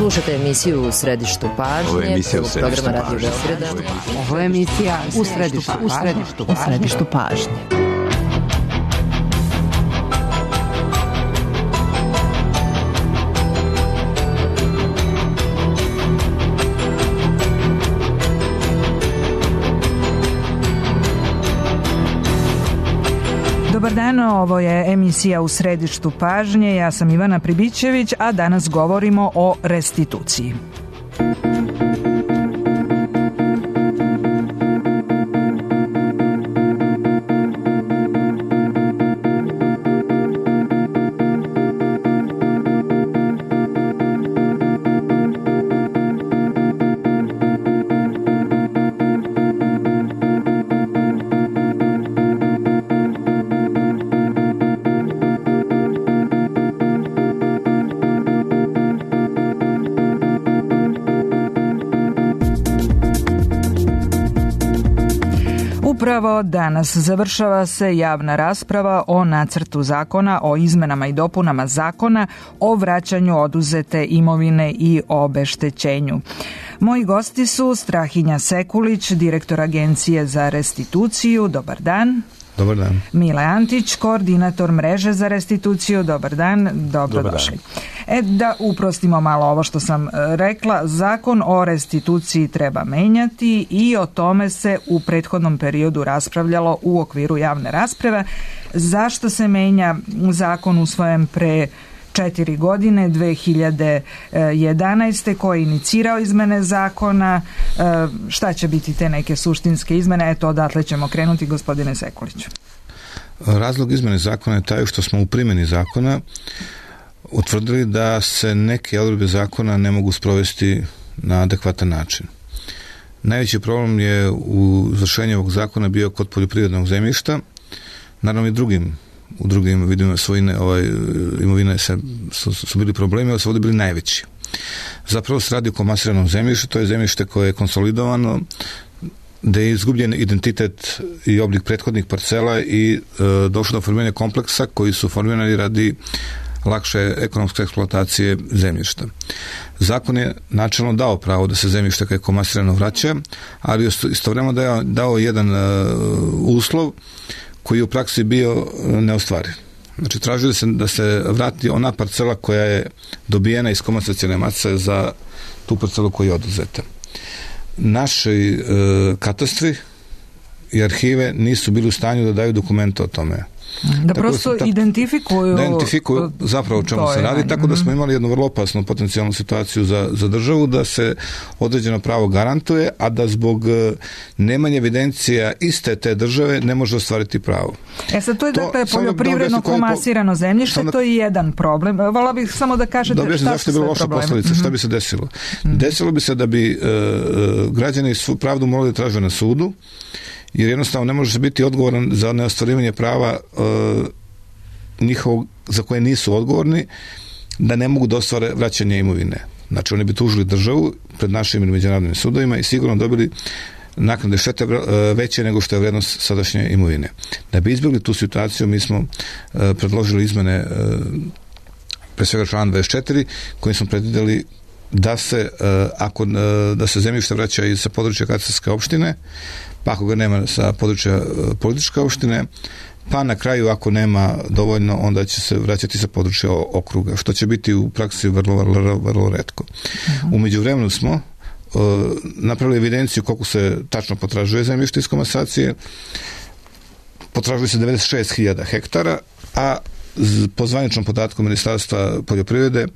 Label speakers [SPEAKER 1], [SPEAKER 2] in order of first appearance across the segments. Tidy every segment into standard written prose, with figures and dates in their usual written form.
[SPEAKER 1] Slušate emisiju U središtu pažnje, programa Radio Beograda.
[SPEAKER 2] Ovo je emisija U središtu pažnje.
[SPEAKER 3] Dobar dan, ovo je emisija U središtu pažnje, ja sam Ivana Pribićević, a danas govorimo o restituciji. Upravo danas završava se javna rasprava o nacrtu zakona o izmenama i dopunama zakona o vraćanju oduzete imovine i obeštećenju. Moji gosti su Strahinja Sekulić, direktor Agencije za restituciju. Dobar dan.
[SPEAKER 4] Dobar dan.
[SPEAKER 3] Mile Antić, koordinator mreže za restituciju. Dobar dan, dobrodošli. Da uprostimo malo ovo što sam rekla, zakon o restituciji treba menjati i o tome se u prethodnom periodu raspravljalo u okviru javne rasprave. Zašto se menja zakon usvojen pre 4 godine, 2011. ko je inicirao izmene zakona, šta će biti te neke suštinske izmene? Eto, odatle ćemo krenuti, gospodine Sekuliću.
[SPEAKER 4] Razlog izmene zakona je taj što smo u primjeni zakona utvrdili da se neke odredbe zakona ne mogu sprovesti na adekvatan način. Najveći problem je u izvršenju ovog zakona bio kod poljoprivrednog zemljišta, naravno i u drugim vidima svojine imovine su bili problemi, ali su ovdje bili najveći. Zapravo se radi o komasiranom zemljištu, to je zemljište koje je konsolidovano, da je izgubljen identitet i oblik prethodnih parcela i došlo do formiranja kompleksa koji su formirani radi lakše ekonomske eksploatacije zemljišta. Zakon je načelno dao pravo da se zemljište koje je komasirano vraća, ali istovremeno je dao jedan uslov koji je u praksi bio neostvariv. Znači, tražio da se vrati ona parcela koja je dobijena iz komasacione mase za tu parcelu koja je oduzeta. Naši katastri i arhive nisu bili u stanju da daju dokumente o tome.
[SPEAKER 3] Da prosto identifikuju
[SPEAKER 4] zapravo o čemu se radi, tako da smo imali jednu vrlo opasnu potencijalnu situaciju za državu, da se određeno pravo garantuje, a da zbog nemanja evidencija iste te države ne može ostvariti pravo.
[SPEAKER 3] Sad to je dakle poljoprivredno komasirano zemljište, to je jedan problem. Volila bih samo da kažete šta su sve problemi.
[SPEAKER 4] Šta bi se desilo? Desilo bi se da bi građani svu pravdu morali da traže na sudu, jer jednostavno ne može se biti odgovoran za neostvarivanje prava njihovog za koje nisu odgovorni, da ne mogu da ostvare vraćanje imovine. Znači, oni bi tužili državu pred našim ili međunarodnim sudovima i sigurno dobili naknade štete veće nego što je vrednost sadašnje imovine. Da bi izbjegli tu situaciju, mi smo predložili izmene pre svega člana 24, kojim smo predvidjeli da se zemljište vraća i sa područja katastarske opštine, pa ako ga nema sa područja političke opštine, pa na kraju ako nema dovoljno, onda će se vraćati sa područja okruga, što će biti u praksi vrlo retko. U međuvremenu smo napravili evidenciju koliko se tačno potražuje zemljište iz komasacije. Potražuje se 96.000 hektara, a po zvaničnom podatku Ministarstva poljoprivrede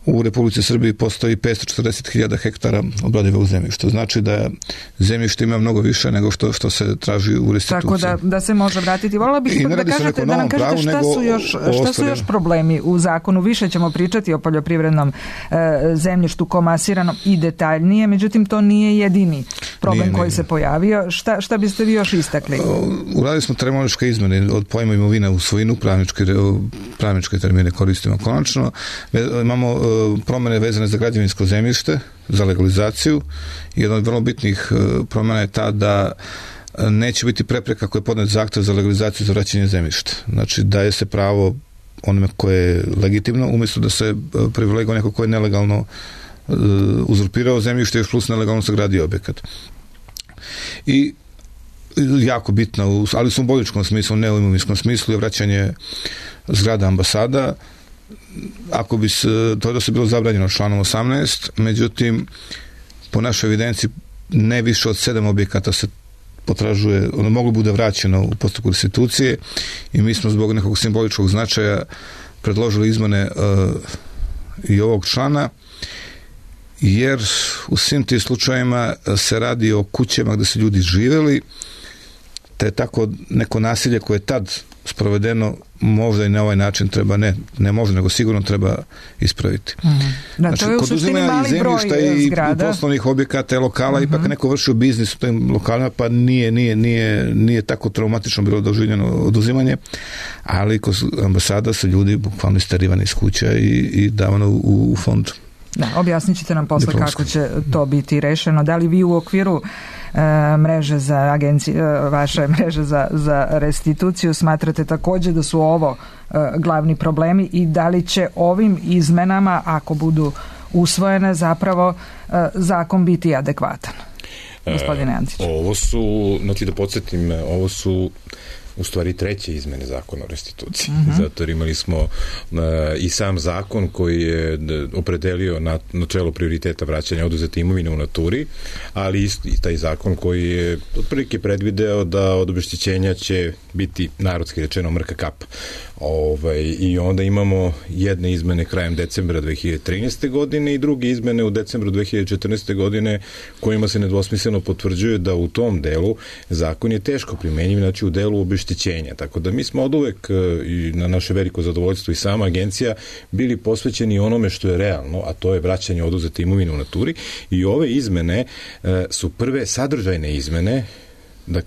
[SPEAKER 4] u Republici Srbiji postoji 540.000 hektara obradivog zemljišta. Znači da zemljište ima mnogo više nego što se traži u restituciji.
[SPEAKER 3] Tako da se može vratiti. Volila bih da nam kažete šta su još problemi u zakonu. Više ćemo pričati o poljoprivrednom zemljištu komasiranom i detaljnije, međutim to nije jedini problem koji se pojavio. Šta biste vi još istakli?
[SPEAKER 4] Uradili smo terminološke izmene od pojma imovina u svojinu, pravničke termine koristimo konačno. Imamo promjene vezane za građevinsko zemljište, za legalizaciju. Jedna od vrlo bitnih promjena je ta da neće biti prepreka ako je podnet zahtev za legalizaciju za vraćanje zemljišta. Znači, daje se pravo onome koje je legitimno, umjesto da se privileguje neko koje je nelegalno uzurpirao zemljište još plus nelegalno sagradio objekat. I jako bitno, ali u simboličkom smislu, ne u imovinskom smislu, je vraćanje zgrada ambasada. Ako bi to je da se bilo zabranjeno članom 18, međutim po našoj evidenciji ne više od 7 objekata se potražuje, ono moglo bude vraćeno u postupku restitucije i mi smo zbog nekog simboličkog značaja predložili izmene i ovog člana, jer u svim tim slučajevima se radi o kućama gde su ljudi živeli, te tako neko nasilje koje je tad sprovedeno možda i na ovaj način treba, ne možda, nego sigurno treba ispraviti.
[SPEAKER 3] Da, to je u suštini mali broj zgrada.
[SPEAKER 4] I poslovnih objekata i lokala, ipak neko vršio biznis u tim lokalima, pa nije tako traumatično bilo doživljeno oduzimanje, ali kod ambasada su ljudi bukvalno isterivani iz kuća i davano u fond.
[SPEAKER 3] Da, objasnit ćete nam posle kako će to biti rešeno. Da li vi u okviru mreže za agencije, vaše mreže za restituciju smatrate također da su ovo glavni problemi i da li će ovim izmenama, ako budu usvojene, zapravo zakon biti adekvatan? Gospodine Antić.
[SPEAKER 5] Ovo su, znači da podsjetim, ovo su u stvari 3. izmene zakona o restituciji. Zato jer imali smo i sam zakon koji je opredelio načelo prioriteta vraćanja oduzete imovine u naturi, ali i taj zakon koji je otprilike predvideo da od obeštećenja će biti narodski rečeno mrka kap. I onda imamo jedne izmene krajem decembra 2013. godine i druge izmene u decembru 2014. godine kojima se nedvosmisleno potvrđuje da u tom delu zakon je teško primenjiv, znači u delu obeštećenja. Tako da mi smo od uvek i na naše veliko zadovoljstvo i sama agencija bili posvećeni onome što je realno, a to je vraćanje oduzete imovine u naturi i ove izmene su prve sadržajne izmene,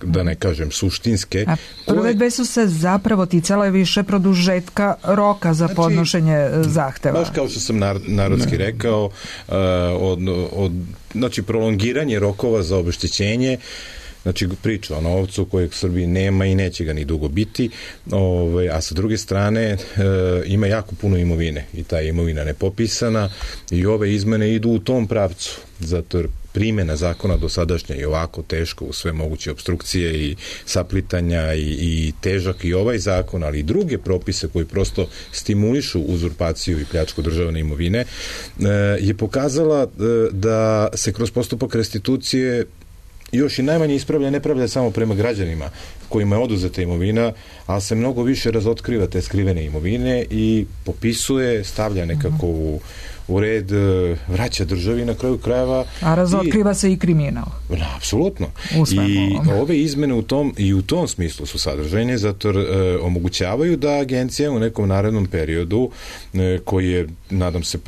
[SPEAKER 5] da ne kažem suštinske.
[SPEAKER 3] A prve dve su se zapravo ticale više produžetka roka za podnošenje zahteva.
[SPEAKER 5] Baš kao što sam narodski rekao, znači prolongiranje rokova za obeštećenje, znači priča o novcu kojeg u Srbiji nema i neće ga ni dugo biti, a sa druge strane ima jako puno imovine i ta imovina nepopisana i ove izmene idu u tom pravcu, zato jer primjena zakona dosadašnja je ovako teško u sve moguće opstrukcije i saplitanja i težak i ovaj zakon, ali i druge propise koji prosto stimulišu uzurpaciju i pljačku državne imovine, je pokazala da se kroz postupak restitucije još i najmanje ispravlja nepravda samo prema građanima kojima je oduzeta imovina, ali se mnogo više razotkriva te skrivene imovine i popisuje, stavlja nekako u red, vraća državi na kraju krajeva.
[SPEAKER 3] A razotkriva se i kriminal.
[SPEAKER 5] Apsolutno. I ove izmene u tom smislu su sadržajne, zato omogućavaju da agencija u nekom narednom periodu, koji je, nadam se,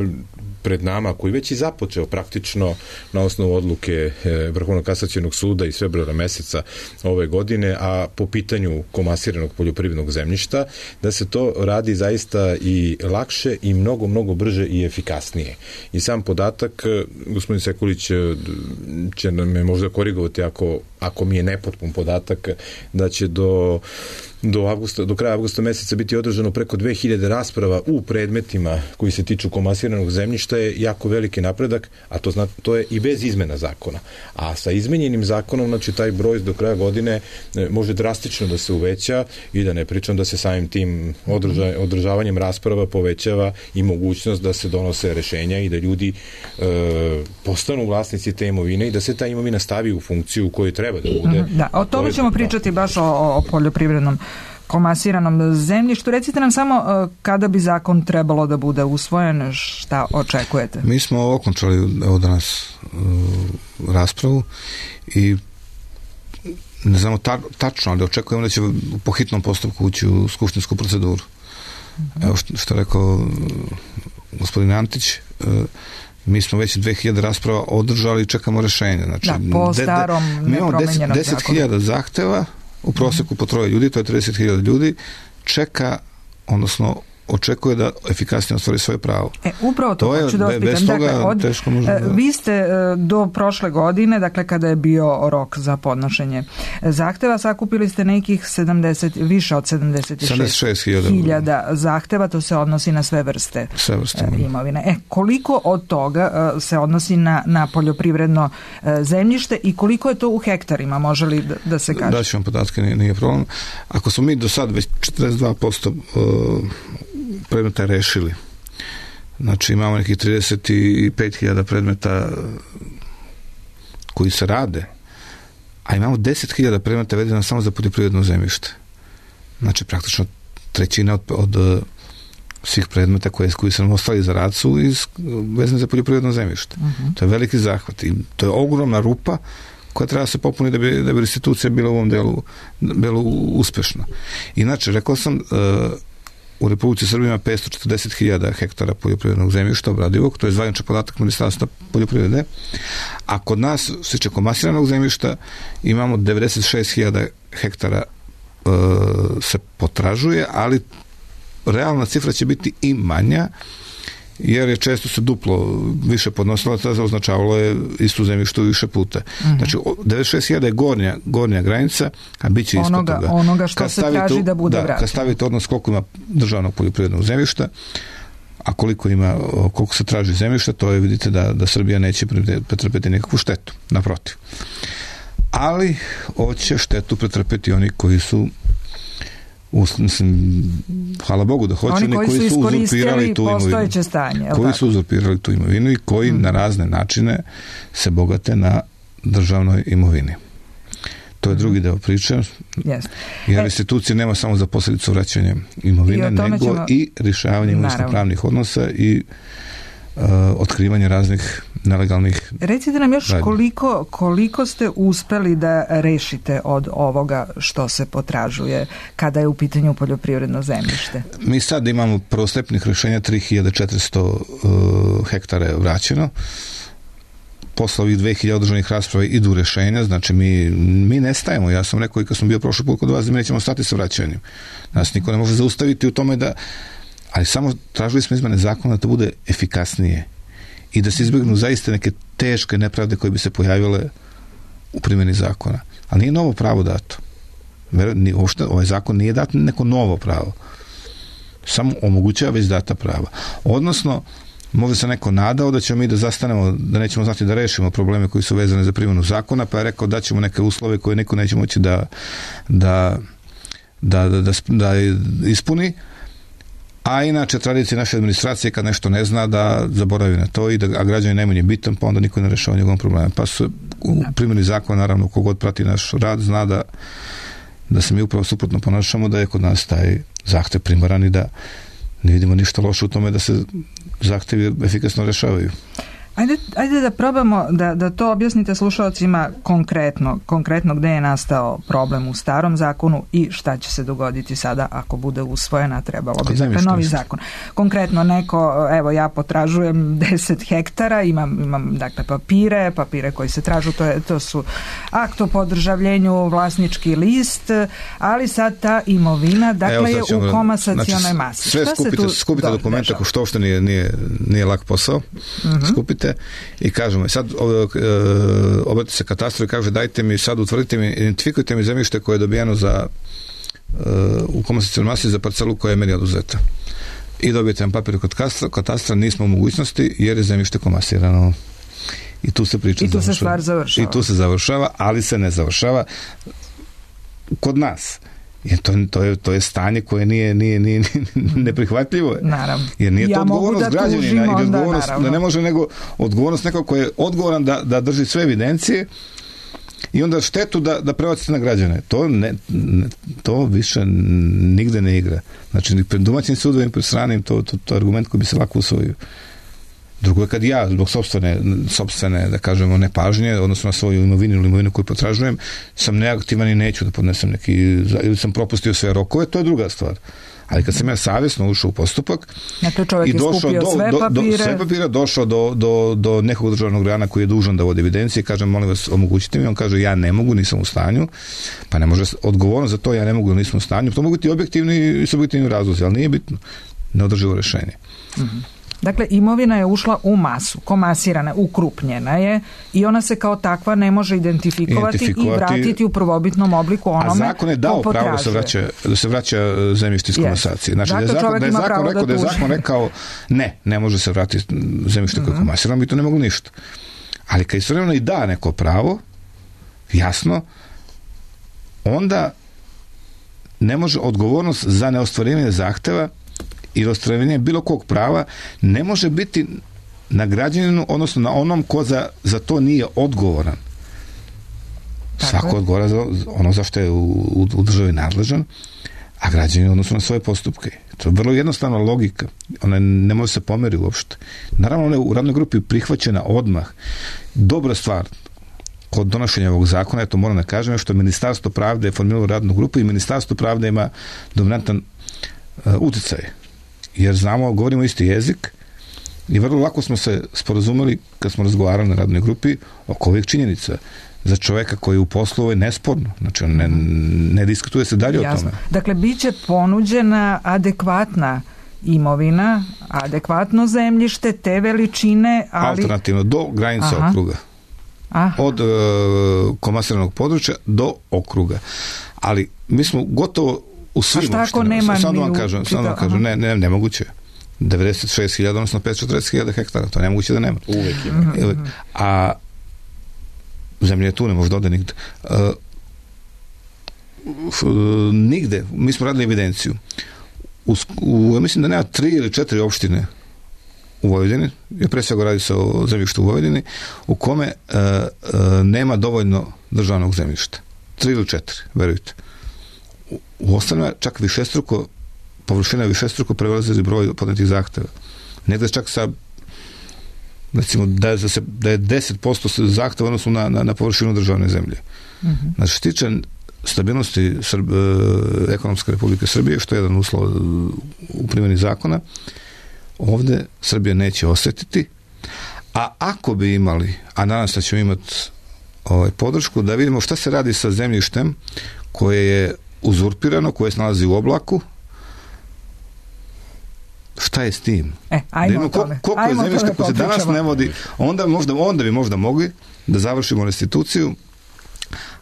[SPEAKER 5] pred nama, koji već i započeo praktično na osnovu odluke Vrhovnog kasacionog suda iz februara meseca ove godine, a po pitanju komasiranog poljoprivrednog zemljišta, da se to radi zaista i lakše i mnogo, mnogo brže i efikasnije. I sam podatak, gospodin Sekulić će me možda korigovati ako mi je nepotpun podatak, da će do kraja avgusta meseca biti održano preko 2000 rasprava u predmetima koji se tiču komasiranog zemljišta, je jako veliki napredak, a to je i bez izmena zakona. A sa izmenjenim zakonom, znači taj broj do kraja godine može drastično da se uveća i da ne pričam da se samim tim održavanjem rasprava povećava i mogućnost da se donose rešenja i da ljudi postanu vlasnici te imovine i da se ta imovina stavi u funkciju u kojoj treba da bude.
[SPEAKER 3] Da, o tome ćemo pričati baš o poljoprivrednom komasiranom zemljištu. Recite nam samo kada bi zakon trebalo da bude usvojen, šta očekujete?
[SPEAKER 4] Mi smo okončali danas raspravu i ne znamo tačno, ali očekujemo da će po hitnom postupku ući u skupštinsku proceduru. Evo što je rekao gospodin Antić, mi smo već 2000 rasprava održali i čekamo rešenje. Znači,
[SPEAKER 3] po starom nepromenjenom zakonu.
[SPEAKER 4] 10.000 zahteva u proseku po 3 ljudi, to je 30.000 ljudi, čeka, odnosno očekuje da efikasnije ostvari svoje pravo.
[SPEAKER 3] Upravo to hoću da vas pitam. Dakle, vi ste do prošle godine, dakle kada je bio rok za podnošenje zahteva, sakupili ste nekih više od 76.000 zahteva, to se odnosi na sve vrste imovine. Koliko od toga se odnosi na poljoprivredno zemljište i koliko je to u hektarima, može li da se kaže?
[SPEAKER 4] Daću vam podatke, nije problem. Ako smo mi do sad već 42% predmeta rešili, znači imamo nekih 35.000 predmeta koji se rade, a imamo 10.000 predmeta vedeno samo za poljoprivredno zemljište. Znači praktično trećina od svih predmeta koji se nam ostali za rad su vezani za poljoprivredno zemljište. To je veliki zahvat i to je ogromna rupa koja treba se popuniti da bi restitucija bila u ovom delu uspešna. Inače, rekao sam, u Republici Srbiji ima 540.000 hektara poljoprivrednog zemljišta obradivog, to je zvaničan podatak Ministarstva poljoprivrede, a kod nas, što se tiče komasiranog zemljišta, imamo 96.000 hektara se potražuje, ali realna cifra će biti i manja, jer je često se duplo više podnosilaca, označavalo je istu zemljištu više puta. Znači, 96.000 je gornja granica, a bit će ispod toga.
[SPEAKER 3] Onoga što se traži da bude vraćeno.
[SPEAKER 4] Kad stavite odnos koliko ima državnog poljoprivrednog zemljišta, a koliko se traži zemljišta, to je, vidite da Srbija neće pretrpeti nekakvu štetu, naprotiv. Ali hoće štetu pretrpeti oni koji su hvala Bogu da hoće, oni koji su uzurpirali tu imovinu. Koji su uzurpirali tu imovinu i koji na razne načine se bogate na državnoj imovini. To je drugi deo priče. Jer restitucija nema samo za posljedicu vraćanja imovine, nego i rješavanje imovinsko-pravnih odnosa i otkrivanje raznih nelegalnih.
[SPEAKER 3] Recite nam još koliko ste uspeli da rešite od ovoga što se potražuje kada je u pitanju poljoprivredno zemljište?
[SPEAKER 4] Mi sad imamo prvostepnih rešenja, 3.400 hektara je vraćeno. Posle ovih 2.000 održanih rasprava idu rešenja, znači mi ne stajemo. Ja sam rekao i kad sam bio prošli put kod vas da mi nećemo stati sa vraćanjem. Nas niko ne može zaustaviti u tome ali samo tražili smo izmene zakona da to bude efikasnije i da se izbjegnu zaista neke teške nepravde koje bi se pojavile u primjeni zakona. Ali nije novo pravo dato. Ovaj zakon nije dat neko novo pravo. Samo omogućava već data prava. Odnosno, možda se neko nadao da ćemo mi da zastanemo, da nećemo znati da rešimo probleme koji su vezane za primjenu zakona, pa je rekao da ćemo neke uslove koje neko neće moći da ispuni. A inače, tradicija naše administracije kad nešto ne zna da zaboravi na to a građani najmanje bitan, pa onda niko ne rešava njegovom problemu. Pa su u primjeni zakona, naravno, kogod prati naš rad, zna da se mi upravo suprotno ponašamo, da je kod nas taj zahtev primaran i da ne vidimo ništa loše u tome da se zahtevi efikasno rešavaju.
[SPEAKER 3] Ajde da probamo da to objasnite slušalcima konkretno gde je nastao problem u starom zakonu i šta će se dogoditi sada ako bude usvojena, trebalo bi novi zakon. Konkretno neko, evo ja potražujem 10 hektara, imam dakle papire koji se tražu, to su akt o podržavljenju, vlasnički list, ali sad ta imovina dakle je u komasacionoj masi.
[SPEAKER 4] Sve skupite dokumenta, što uopšte nije lak posao, skupite i kažemo, sad obratite se katastru i kaže dajte mi, sad utvrdite mi, identifikujte mi zemljište koje je dobijeno u komasacionoj masi za parcelu koja je meni oduzeta. I dobijete vam papir kod katastra, nismo u mogućnosti jer je zemljište komasirano. I tu se priča
[SPEAKER 3] završava. I tu se stvar završava.
[SPEAKER 4] I tu se završava, ali se ne završava kod nas. Jer to je stanje koje nije neprihvatljivo.
[SPEAKER 3] Naravno.
[SPEAKER 4] Jer nije to odgovornost građanina i odgovornost da ne može, nego odgovornost nekog koji je odgovoran da drži sve evidencije i onda štetu da prebacite na građane. To više nigde ne igra. Znači, ni pred domaćim sudovima, pred stranim, to je argument koji bi se lako usvojio. Drugo je kad ja, zbog sopstvene, da kažemo, nepažnje, odnosno na svoju imovinu ili imovinu koju potražujem, sam neaktivan i neću da podnesem ili sam propustio sve rokove, to je druga stvar. Ali kad sam ja savjesno ušao u postupak
[SPEAKER 3] i došao
[SPEAKER 4] sve papire, došao do nekog državnog organa koji je dužan da vodi evidencije, kažem, molim vas, omogućite mi, on kaže, ja ne mogu, nisam u stanju, pa ne može odgovornost za to, ja ne mogu, nisam u stanju, to mogu biti objektivni i subjektivni razlozi, ali nije bitno. neodrživo rješenje.
[SPEAKER 3] Dakle, imovina je ušla u masu, komasirana, ukrupnjena je i ona se kao takva ne može identifikovati i vratiti u prvobitnom obliku onome.
[SPEAKER 4] A zakon je dao pravo da se vraća zemljište iz komasacije. Znači, da je zakon rekao ne može se vratiti zemljište koje je komasirano, mi to ne mogu ništa. Ali kad istovremeno i da neko pravo, jasno, onda ne može odgovornost za neostvarivanje zahteva i ostvarivanje bilo kog prava ne može biti na građaninu, odnosno na onom ko za to nije odgovoran. Svako odgovara za ono za što je u državi nadležan, a građanin odnosno na svoje postupke. To je vrlo jednostavna logika. Ona ne može se pomeriti uopšte. Naravno, ona je u radnoj grupi prihvaćena odmah. Dobra stvar kod donošenja ovog zakona, ja to moram da kažem, je što Ministarstvo pravde je formiralo radnu grupu i Ministarstvo pravde ima dominantan uticaj. Jer znamo, govorimo isti jezik i vrlo lako smo se sporazumeli kad smo razgovarali na radnoj grupi oko ovih činjenica. Za čoveka koji je u poslu je nesporno. Znači, on ne diskutuje se dalje o tome.
[SPEAKER 3] Dakle, bit će ponuđena adekvatna imovina, adekvatno zemljište, te veličine, ali...
[SPEAKER 4] Alternativno, do granica okruga. Od komasiranog područja do okruga. Ali mi smo gotovo u svim opštinama. Samo vam kažem, nemoguće. 96.000, odnosno 540.000 hektara. To je nemoguće da nema.
[SPEAKER 5] Uvijek ima.
[SPEAKER 4] A zemlje je tu, ne može da ode nigde. Nigde, mi smo radili evidenciju. Mislim da nema 3 ili 4 opštine u Vojvodini, jer pre svega radi se o zemljištu u Vojvodini, u kome nema dovoljno državnog zemljišta. 3 ili 4, verujte. U ostalima čak površina višestruko prelazi broj podnetih zahteva. Negde čak sa recimo da je 10% zahteva odnosno na površinu državne zemlje. Znači, što tiče stabilnosti ekonomske Republike Srbije, što je jedan uslov u primjeni zakona, ovde Srbija neće osjetiti, a ako bi imali, a nadam se da ćemo imati podršku, da vidimo šta se radi sa zemljištem koje je uzurpirano, koje se nalazi u oblaku, šta je s tim?
[SPEAKER 3] Ajmo o tome.
[SPEAKER 4] Koliko je zemljišta koje se danas ne vodi, onda bi možda mogli da završimo restituciju,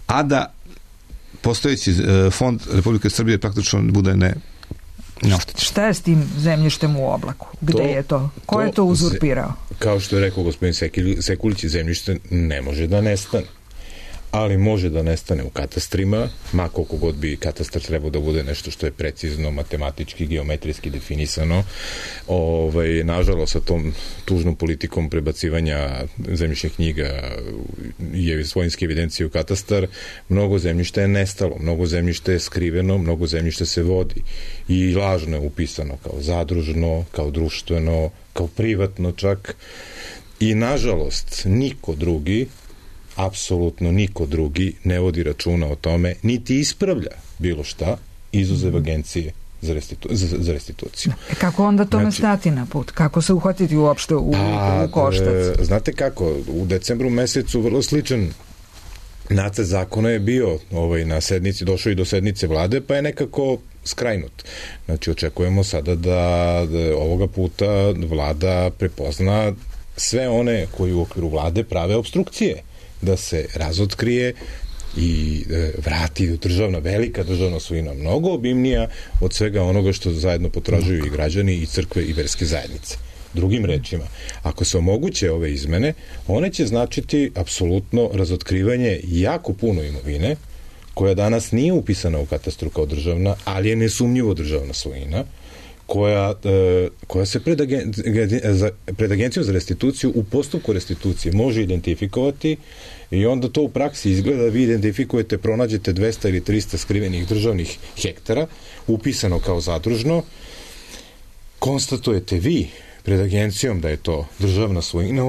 [SPEAKER 4] a da postojeći fond Republike Srbije praktično bude neoštećen.
[SPEAKER 3] Šta je s tim zemljištem u oblaku? Gde je to? Ko je to uzurpirao?
[SPEAKER 5] Kao što je rekao gospodin Sekulić, zemljište ne može da nestane. Ali može da nestane u katastrima, ma koliko god bi katastar trebao da bude nešto što je precizno, matematički, geometrijski definisano. Nažalost, sa tom tužnom politikom prebacivanja zemljišnih knjiga i svojinske evidencije u katastar, mnogo zemljišta je nestalo, mnogo zemljišta je skriveno, mnogo zemljišta se vodi i lažno je upisano kao zadružno, kao društveno, kao privatno čak. I nažalost, niko drugi, apsolutno niko drugi ne vodi računa o tome, niti ispravlja bilo šta, izuzev agencije za restituciju.
[SPEAKER 3] Kako onda tome stati na put? Kako se uhvatiti uopšte u koštac?
[SPEAKER 5] Znate kako, u decembru mesecu vrlo sličan nacrt zakona je bio na sednici, došao i do sednice vlade, pa je nekako skrajnut. Znači, očekujemo sada da ovoga puta vlada prepozna sve one koji u okviru vlade prave opstrukcije, da se razotkrije i vrati velika državna svojina, mnogo obimnija od svega onoga što zajedno potražuju i građani i crkve i verske zajednice. Drugim rečima, ako se omoguće ove izmene, one će značiti apsolutno razotkrivanje jako puno imovine, koja danas nije upisana u katastru kao državna, ali je nesumnjivo državna svojina, koja se pred agencijom za restituciju u postupku restitucije može identifikovati i onda to u praksi izgleda da vi identifikujete, pronađete 200 ili 300 skrivenih državnih hektara, upisano kao zadružno, konstatujete vi pred agencijom da je to državna svojina,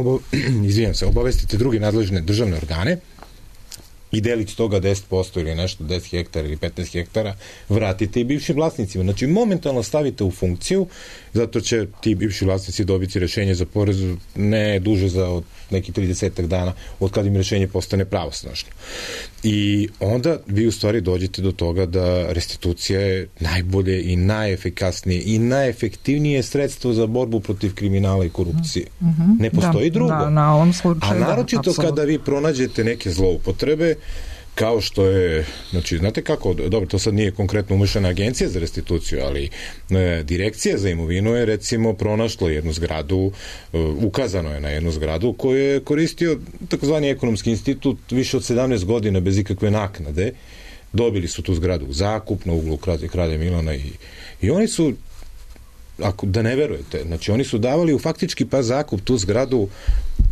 [SPEAKER 5] obavestite druge nadležne državne organe i delić toga 10% ili nešto, 10 hektara ili 15 hektara, vratite i bivšim vlasnicima. Znači, momentalno stavite u funkciju, zato će ti bivši vlasnici dobiti rešenje za porez ne duže za neki 30 dana od kad im rešenje postane pravosnažno. I onda vi u stvari dođete do toga da restitucija je najbolje i najefikasnije i najefektivnije sredstvo za borbu protiv kriminala i korupcije. Ne postoji drugo.
[SPEAKER 3] Na ovom slučaju,
[SPEAKER 5] a naročito kada vi pronađete neke zloupotrebe, kao što je, znači, znate kako, dobro, to sad nije konkretno umešana agencija za restituciju, ali direkcija za imovinu je, recimo, pronašla jednu zgradu, ukazano je na jednu zgradu koju je koristio takozvani ekonomski institut više od 17 godina bez ikakve naknade. Dobili su tu zgradu u zakup na uglu Kralja Milana i oni su, ako da ne verujete, znači oni su davali u faktički zakup tu zgradu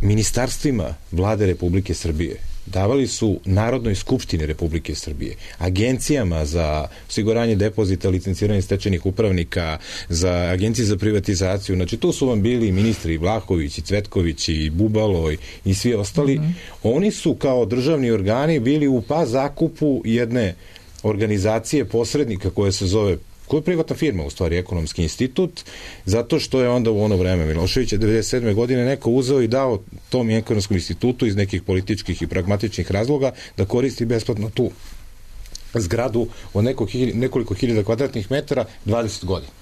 [SPEAKER 5] ministarstvima Vlade Republike Srbije. Davali su Narodnoj skupštini Republike Srbije, agencijama za osiguranje depozita, licenciranje stečajnih upravnika, za agencije za privatizaciju. Znači, tu su vam bili ministri Vlahović i Cvetković i Bubalo i svi ostali. Oni su kao državni organi bili u zakupu jedne organizacije posrednika koja se zove, koja je privatna firma, u stvari ekonomski institut, zato što je onda u ono vreme Miloševića 97. godine neko uzeo i dao tom ekonomskom institutu iz nekih političkih i pragmatičnih razloga da koristi besplatno tu zgradu od nekoliko hiljada kvadratnih metara 20 godina.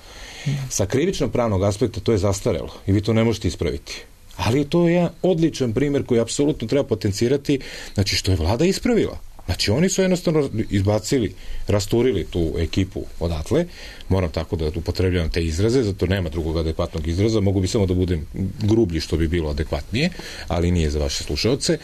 [SPEAKER 5] Sa krivično pravnog aspekta to je zastarelo i vi to ne možete ispraviti. Ali to je jedan odličan primer koji apsolutno treba potencirati, znači što je vlada ispravila. Znači, oni su jednostavno izbacili, rasturili tu ekipu odatle, moram tako da upotrebljavam te izraze, zato nema drugog adekvatnog izraza, mogu bi samo da budem grublji što bi bilo adekvatnije, ali nije za vaše slušaoce.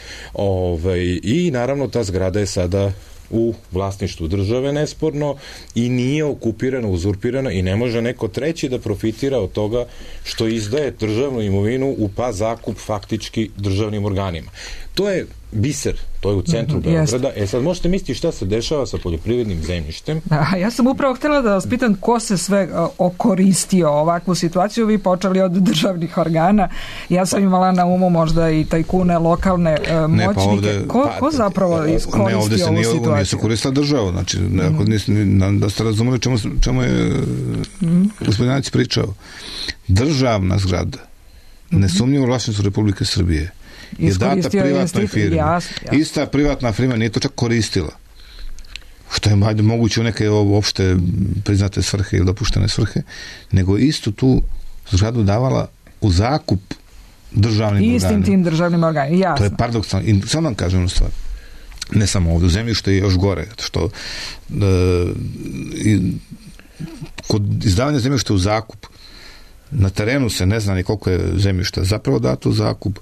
[SPEAKER 5] I naravno ta zgrada je sada u vlasništvu države nesporno i nije okupirana, uzurpirana i ne može neko treći da profitira od toga što izdaje državnu imovinu u zakup faktički državnim organima. To je biser, to je u centru Beograda. Sad možete misliti šta se dešava sa poljoprivrednim zemljištem.
[SPEAKER 3] Ja sam upravo htjela da vas pitam ko se sve okoristio ovakvu situaciju. Vi počeli od državnih organa. Ja sam imala na umu možda i tajkune, lokalne moćnike. Ko zapravo iskoristio ovu situaciju?
[SPEAKER 4] Ovdje se koristila država. Znači, da ste razumeli čemu je gospodinac pričao. Državna zgrada, nesumnjivo vlasništvo Republike Srbije, je data privatnoj firmi. Ista privatna firma nije to čak koristila. Što je moguće u neke uopšte priznate svrhe ili dopuštene svrhe, nego istu tu zgradu davala u zakup državnim organima.
[SPEAKER 3] Istim tim državnim organima, jasno.
[SPEAKER 4] To je paradoksalno. I samo vam kažem stvar. Ne samo ovdje, u zemljištu je još gore. Što kod izdavanja zemljišta u zakup na terenu se ne zna ni koliko je zemljišta zapravo dato u zakup,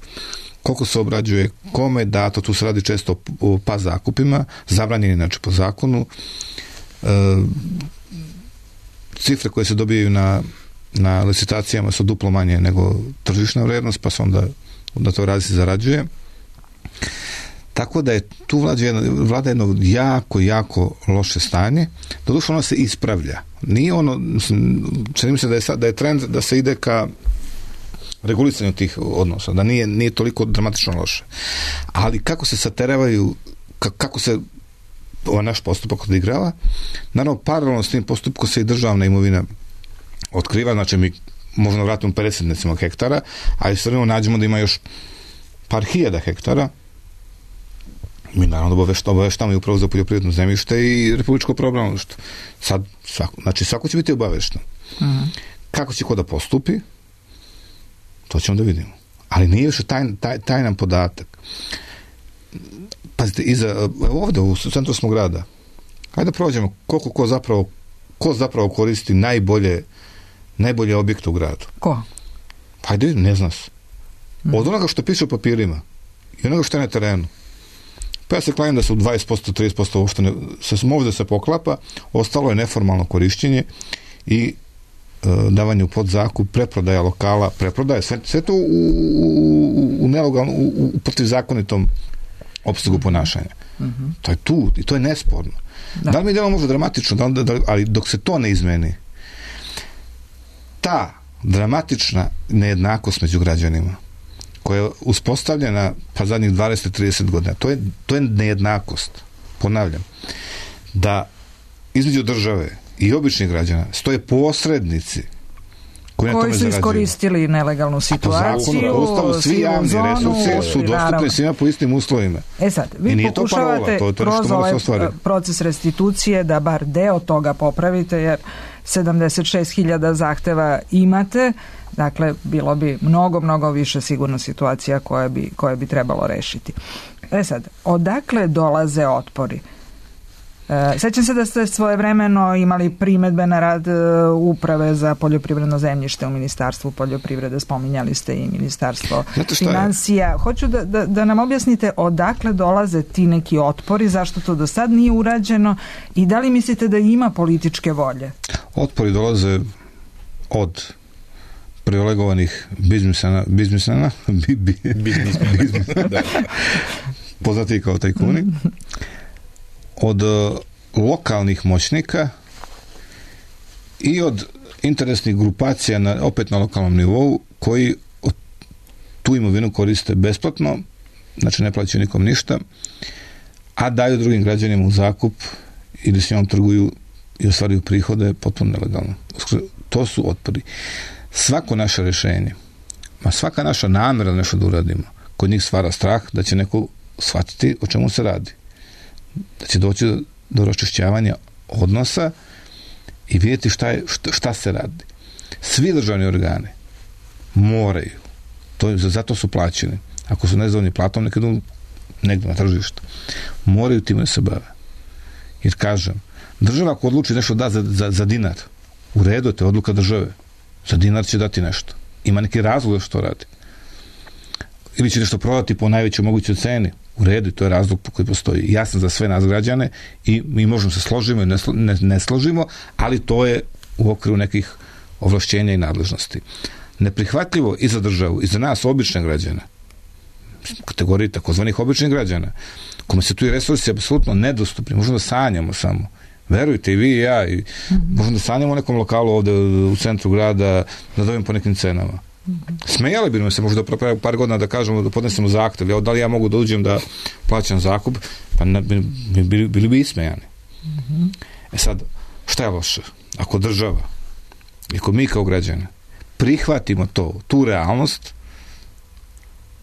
[SPEAKER 4] koliko se obrađuje, kome je dato, tu se radi često o zakupima, zabranjeni znači po zakonu. Cifre koje se dobijaju na licitacijama su duplo manje nego tržišna vrijednost, pa se onda to radi se zarađuje. Tako da je tu vlada jedno jako loše stanje. Doduše ono se ispravlja. Nije ono, čini mi se da je trend da se ide ka regulisanju tih odnosa, da nije toliko dramatično loše. Ali kako se saterevaju, kako se ovaj naš postupak odigrava, naravno paralelno s tim postupkom se i državna imovina otkriva, znači mi možemo vratiti 50 hektara, a i sve nađemo da ima još par hiljada hektara. Mi naravno obaveštamo i upravo za poljoprivredno zemljište i republičko pravobranilaštvo. Sad, svako će biti obavešten. Kako će ko da postupi, to ćemo da vidimo. Ali nije više tajnan podatak. Pazite, ovdje u centru smo grada, hajde da prođemo ko zapravo koristi najbolje objekte u gradu.
[SPEAKER 3] Ko?
[SPEAKER 4] Hajde vidim, ne zna se. Od onoga što piše u papirima i onoga što je na terenu. Pa ja se klanim da su 20%, 30% uopšte ovdje se poklapa, ostalo je neformalno korišćenje i davanje u podzakup, preprodaja lokala, sve to u nelegalno, u protivzakonitom opsegu ponašanja. To je tu i to je nesporno. Da li mi delamo možda dramatično, ali dok se to ne izmeni, ta dramatična nejednakost među građanima koja je uspostavljena pa zadnjih 20-30 godina. To je nejednakost. Ponavljam, da između države i običnih građana stoje posrednici koji
[SPEAKER 3] su iskoristili nelegalnu situaciju.
[SPEAKER 4] Po Ustavu svi javni resursi su dostupni svima po istim uslovima.
[SPEAKER 3] Sad, vi pokušavate kroz ovaj proces restitucije da bar deo toga popravite, jer 76.000 zahteva imate, dakle bilo bi mnogo više sigurno situacija koje bi trebalo rešiti. Sad, odakle dolaze otpori? Sećam se da ste svojevremeno imali primedbe na rad Uprave za poljoprivredno zemljište u Ministarstvu poljoprivrede, spominjali ste i Ministarstvo financija. Hoću da nam objasnite odakle dolaze ti neki otpori, zašto to do sad nije urađeno i da li mislite da ima političke volje?
[SPEAKER 4] Otpori dolaze od privilegovanih biznismena, poznati kao tajkuni, od lokalnih moćnika i od interesnih grupacija opet na lokalnom nivou koji tu imovinu koriste besplatno, znači ne plaćaju nikom ništa, a daju drugim građanima u zakup ili s njom trguju i ostvaruju prihode potpuno nelegalno. To su otpori. Svako naše rješenje, svaka naša namjera da nešto da uradimo, kod njih stvara strah da će neko shvatiti o čemu se radi. Da će doći do raščišćavanja odnosa i vidjeti šta se radi. Svi državni organi moraju, zato su plaćeni, ako su nezadovoljni platom, nekad negdje na tržištu, moraju time da se bave. Jer kažem, država ako odluči nešto da za dinar, u redu je to odluka države, za dinar će dati nešto. Ima neki razlog da što radi. Ili će nešto prodati po najvećoj mogućoj ceni, u redu, to je razlog koji postoji. Jasan za sve nas građane i mi možemo se složimo i ne složimo, ali to je u okviru nekih ovlašćenja i nadležnosti. Neprihvatljivo i za državu, i za nas, obične građane, kategoriji takozvanih običnih građana, kome se tu i resursi apsolutno nedostupni, možemo da sanjamo samo. Verujte, i vi i ja, i možemo da sanjamo u nekom lokalu ovde u centru grada, da dobijemo po nekim cenama. Smejali bi se možda par godina da kažemo da podnesemo zahtev, da li ja mogu da uđem da plaćam zakup, pa bili bi ismejani. Sad, šta je loše? Ako država, ako mi kao građani prihvatimo tu realnost,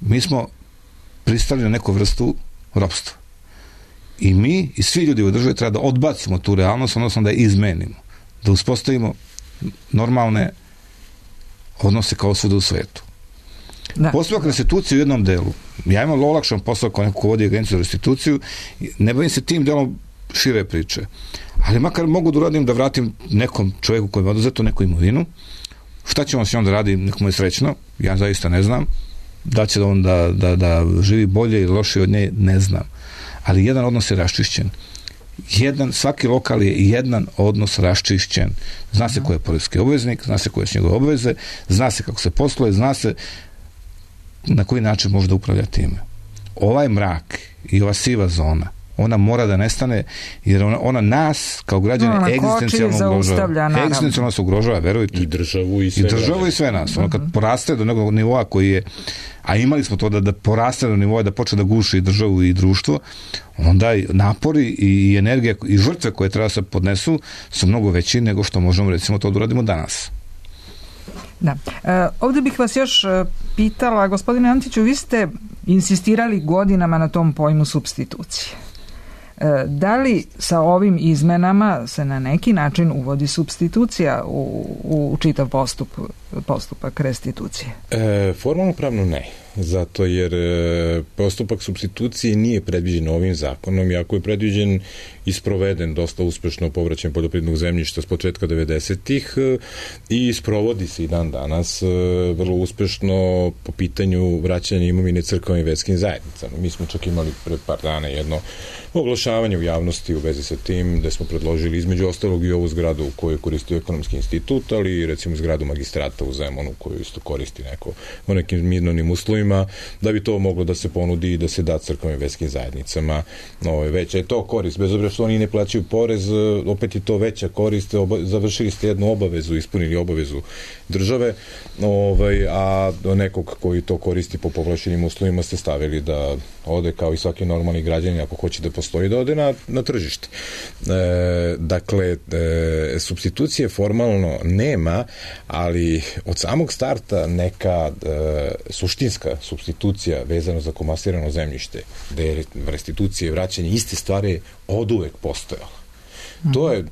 [SPEAKER 4] mi smo pristali na neku vrstu ropstva. I mi i svi ljudi u državi treba da odbacimo tu realnost, odnosno da je izmenimo, da uspostavimo normalne odnose kao svuda u svetu. Postupak restitucije u jednom delu. Ja imam olakšan posao kao neko ko vodi agenciju za restituciju, ne bavim se tim delom šire priče. Ali makar mogu da uradim da vratim nekom čovjeku koji je oduzeto neku imovinu. Šta će on s njom da radi, nekomu je srećno, ja zaista ne znam. Da će on da živi bolje ili lošije od nje, ne znam. Ali jedan odnos je raščišćen. Svaki lokal je jedan odnos raščišćen. Zna se ko je poreski obveznik, zna se koje su njegove obveze, zna se kako se posluje, zna se na koji način može da upravlja time. Ovaj mrak i ova siva zona, ona mora da nestane, jer ona nas kao građane egzistencijalno ugrožava. Egzistencijalno se ugrožava, verujte.
[SPEAKER 5] I državu i sve
[SPEAKER 4] nas. Ono kad poraste do nekog nivoa koji je, a imali smo to da poraste do nivoa da počne da guši i državu i društvo, onda napori i energija i žrtve koje treba se podnesu su mnogo veći nego što možemo recimo to da uradimo danas.
[SPEAKER 3] Da. Ovdje bih vas još pitala, gospodine Antiću, vi ste insistirali godinama na tom pojmu supstitucije. Da li sa ovim izmenama se na neki način uvodi supstitucija u čitav postupak restitucije?
[SPEAKER 5] Formalno pravno ne, zato jer postupak supstitucije nije predviđen ovim zakonom, iako je predviđen i sproveden dosta uspešno povraćaj poljoprivrednog zemljišta s početka 90-ih i sprovodi se i dan danas vrlo uspešno po pitanju vraćanja imovine crkvenim i verskim zajednicama. Mi smo čak imali pred par dana jedno oglašavanje u javnosti u vezi sa tim, gde smo predložili između ostalog i ovu zgradu u kojoj je koristio Ekonomski institut, ali i recimo zgradu magistrata u u Zemunu koju isto koristi neko u nekim mirnim uslovima, da bi to moglo da se ponudi i da se da crkvenim i verskim zajednicama. Veća je to korist, bez obzira što oni ne plaćaju porez, opet je to veća korist, završili ste jednu obavezu, ispunili obavezu države, a nekog koji to koristi po povlašenim uslovima ste stavili da ode kao i svaki normalni građanin, ako hoće da postoji, da ode na tržište. Dakle, supstitucije formalno nema, ali od samog starta neka suštinska supstitucija vezano za komasirano zemljište, gde je restitucije, vraćanje iste stvari oduvek postojala. To je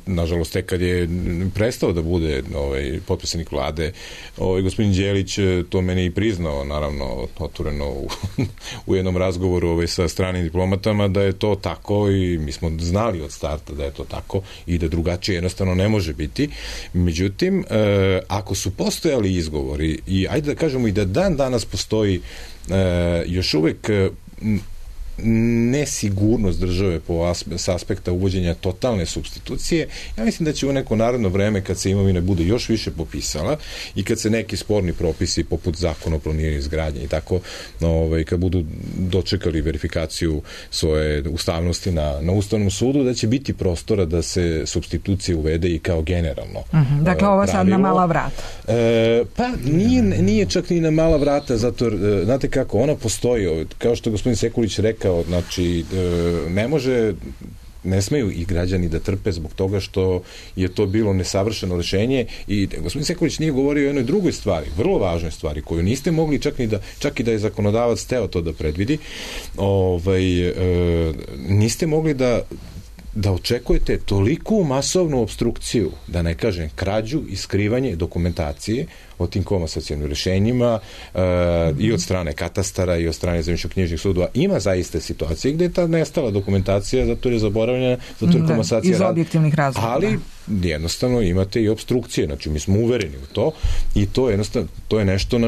[SPEAKER 5] nažalost, tek kad je prestao da bude potpredsednik vlade, gospodin Đelić to meni i priznao, naravno, otvoreno u jednom razgovoru sa stranim diplomatama, da je to tako i mi smo znali od starta da je to tako i da drugačije jednostavno ne može biti. Međutim, ako su postojali izgovori i ajde da kažemo i da dan danas postoji još uvek nesigurnost države s aspekta uvođenja totalne supstitucije, ja mislim da će u neko naredno vreme, kad se imovina bude još više popisala i kad se neki sporni propisi poput zakona o planiranju i izgradnje i tako, kad budu dočekali verifikaciju svoje ustavnosti na Ustavnom sudu, da će biti prostora da se supstitucije uvede i kao generalno.
[SPEAKER 3] Dakle, ovo je sad na mala vrata.
[SPEAKER 5] Pa nije čak ni na mala vrata, zato, znate kako, ona postoji, kao što je gospodin Sekulić rekao, znači, ne smeju i građani da trpe zbog toga što je to bilo nesavršeno rešenje i gospodin Sekulić nije govorio o jednoj drugoj stvari, vrlo važnoj stvari, koju niste mogli čak i da je zakonodavac teo to da predvidi, niste mogli da očekujete toliku masovnu obstrukciju, da ne kažem krađu i skrivanje dokumentacije o tim komasacionim rešenjima i od strane katastara i od strane zemljišno-knjižnih sudova. Ima zaista situacije gde je ta nestala dokumentacija zato je zaboravljena, zato je komasacija
[SPEAKER 3] iz objektivnih razloga.
[SPEAKER 5] Ali jednostavno imate i obstrukcije, znači mi smo uvereni u to i to je nešto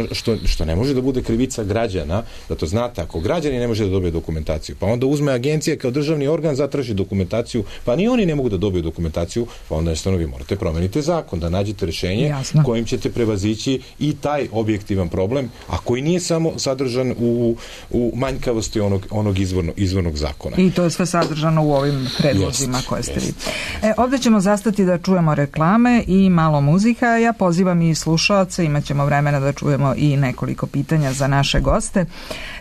[SPEAKER 5] što ne može da bude krivica građana, da to znate, ako građani ne može da dobije dokumentaciju, pa onda uzme agencija kao državni organ, zatraži dokumentaciju, pa ni oni ne mogu da dobiju dokumentaciju, pa onda jednostavno vi morate promeniti zakon, da nađete rešenje kojim ćete prevazići i taj objektivan problem, a koji nije samo sadržan u manjkavosti onog izvornog zakona.
[SPEAKER 3] I to je sve sadržano u ovim predlozima koje ste vi. Ovdje ćemo zastati da čujemo reklame i malo muzika. Ja pozivam i slušaoce, imat ćemo vremena da čujemo i nekoliko pitanja za naše goste.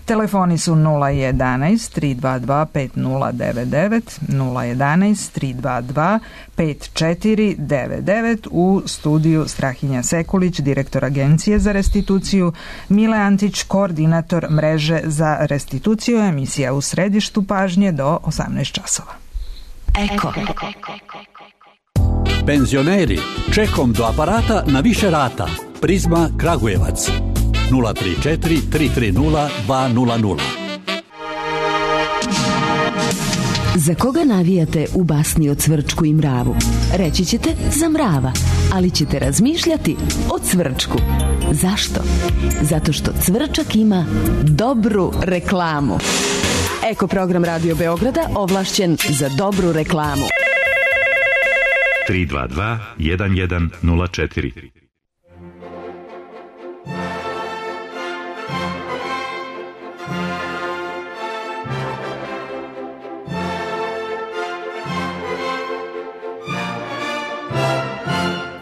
[SPEAKER 3] Telefoni su 011 322 5099, 011 322 5499, u studiju Strahinja Sekulić, direktor Agencije za restituciju, Mile Antić, koordinator mreže za restituciju, emisija U središtu pažnje do 18 časova.
[SPEAKER 6] Eko. Penzioneri, čekom do aparata na više rata. Prizma Kragujevac 034 330 200.
[SPEAKER 7] Za koga navijate u basni o Cvrčku i mravu? Reći ćete za mrava, ali ćete razmišljati o Cvrčku. Zašto? Zato što Cvrčak ima dobru reklamu. Eko program Radio Beograda ovlašćen za dobru reklamu.
[SPEAKER 8] 322 1104.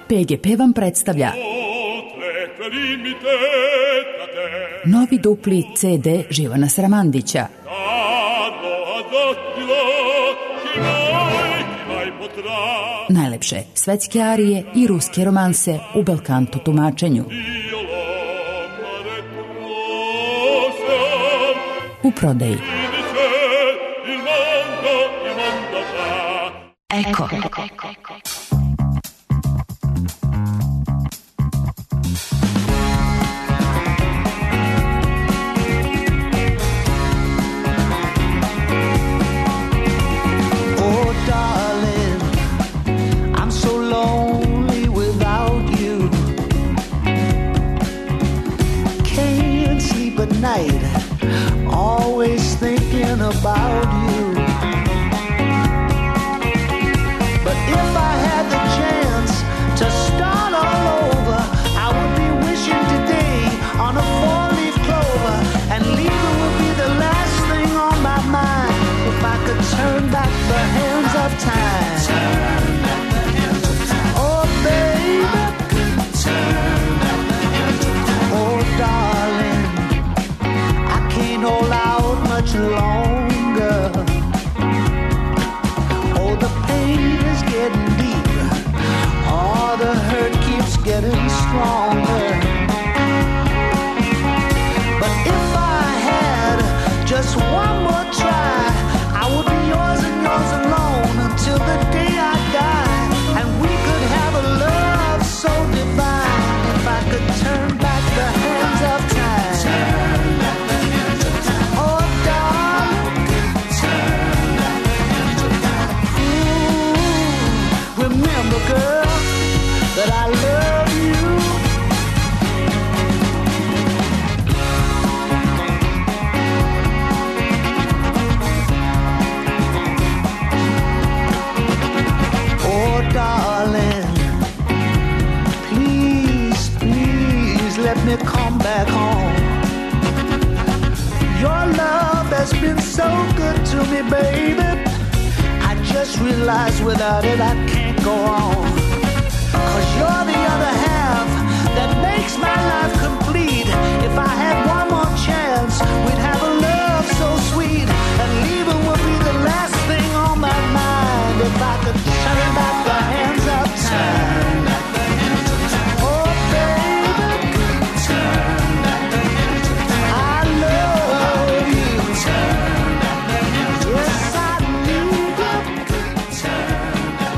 [SPEAKER 9] PGP vam predstavlja novi dupli CD Živana Sramandića. Najlepše svetske arije i ruske romanse u belkanto tumačenju. U prodaji.
[SPEAKER 6] Eko.
[SPEAKER 10] Always thinking about you. But if I had the chance to start all over, I much longer. Oh, the pain is getting deeper. Oh, the hurt keeps getting stronger. But if I had just one more try, I would be yours and yours alone until the day I die. And we could have a love so divine if I could turn back the hands of time. Turn back the hands of time. Oh, darling, turn back the hands of time. Ooh, remember, girl, that I love you. Oh, darling, please, please let me come back home. Your love has been so good to me, baby. I just realized without it I can't go on. 'Cause you're the other half that makes my life complete. If I had one more chance, we'd have a love so sweet. And leaving would be the last thing on my mind. If I could turn back the hands of time. Oh, baby, turn back the hands of time. I love you. Turn back the hands of time. Yes, I need you. Turn back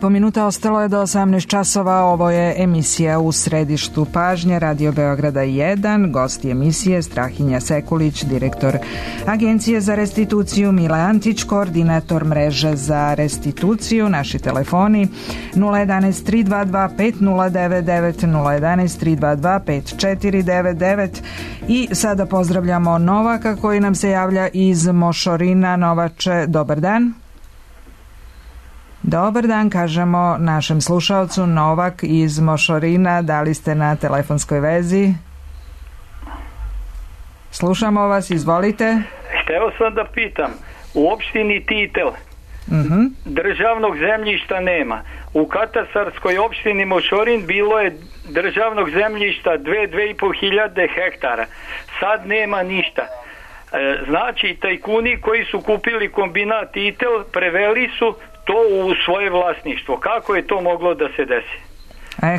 [SPEAKER 10] the
[SPEAKER 3] minuta ostalo je do 18 časova. Ovo je emisija U središtu pažnje Radio Beograda 1. Gost emisije Strahinja Sekulić, direktor Agencije za restituciju, Mile Antić, koordinator mreže za restituciju. Naši telefoni 011 322 5099, 011 322 5499. I sada pozdravljamo Novaka koji nam se javlja iz Mošorina. Novače, dobar dan. Dobar dan, kažemo našem slušalcu. Novak iz Mošorina, da li ste na telefonskoj vezi? Slušamo vas, izvolite.
[SPEAKER 11] Hteo sam da pitam, u opštini Titel državnog zemljišta nema. U katastarskoj opštini Mošorin bilo je državnog zemljišta 2.500 hektara. Sad nema ništa. Znači, tajkuni koji su kupili kombinat Titel preveli su to u svoje vlasništvo. Kako je to moglo da se desi?